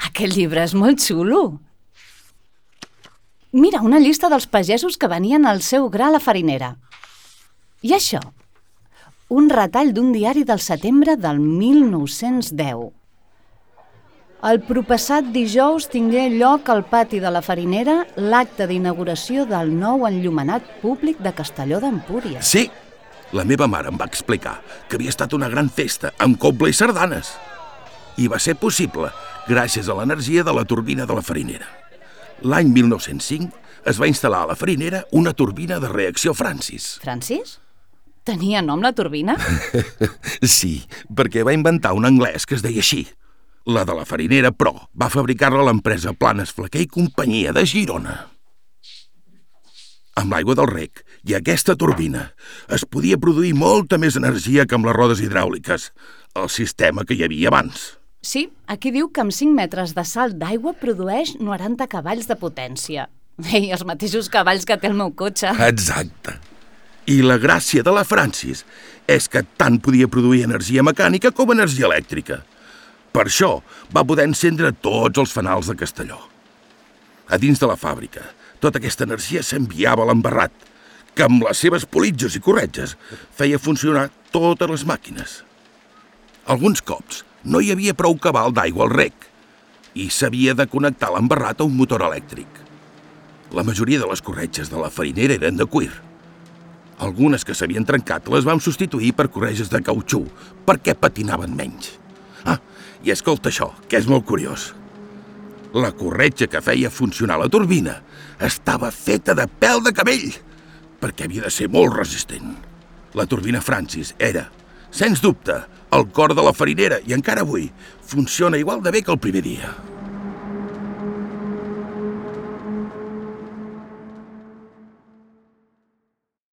Aquest llibre és molt xulo. Mira, una llista dels pagesos que venien al seu gra a la farinera. I això? Un retall d'un diari del setembre del 1910. El proppassat dijous tingué lloc al pati de la farinera l'acte d'inauguració del nou enllumenat públic de Castelló d'Empúries. Sí, la meva mare em va explicar que havia estat una gran festa amb coble i sardanes. I va ser possible gràcies a l'energia de la turbina de la farinera. L'any 1905 es va instal·lar a la farinera una turbina de reacció Francis. Francis? Tenia nom la turbina? Sí, perquè va inventar un anglès que es deia així. La de la farinera, però, va fabricar-la l'empresa Planes Flaquer i Companyia de Girona. Amb l'aigua del rec i aquesta turbina es podia produir molta més energia que amb les rodes hidràuliques, el sistema que hi havia abans. Sí, aquí diu que amb 5 metres de salt d'aigua produeix 90 cavalls de potència. Ei, els mateixos cavalls que té el meu cotxe. Exacte. I la gràcia de la Francis és que tant podia produir energia mecànica com energia elèctrica. Per això va poder encendre tots els fanals de Castelló. A dins de la fàbrica, tota aquesta energia s'enviava a l'embarrat, que amb les seves politges i corretges feia funcionar totes les màquines. Alguns cops no hi havia prou cabal d'aigua al rec i s'havia de connectar l'embarrat a un motor elèctric. La majoria de les corretges de la farinera eren de cuir. Algunes que s'havien trencat les vam substituir per corretges de cautxú perquè patinaven menys. I escolta això, que és molt curiós. La corretja que feia funcionar la turbina estava feta de pèl de cabell, perquè havia de ser molt resistent. La turbina Francis era, sens dubte, el cor de la farinera i encara avui funciona igual de bé que el primer dia.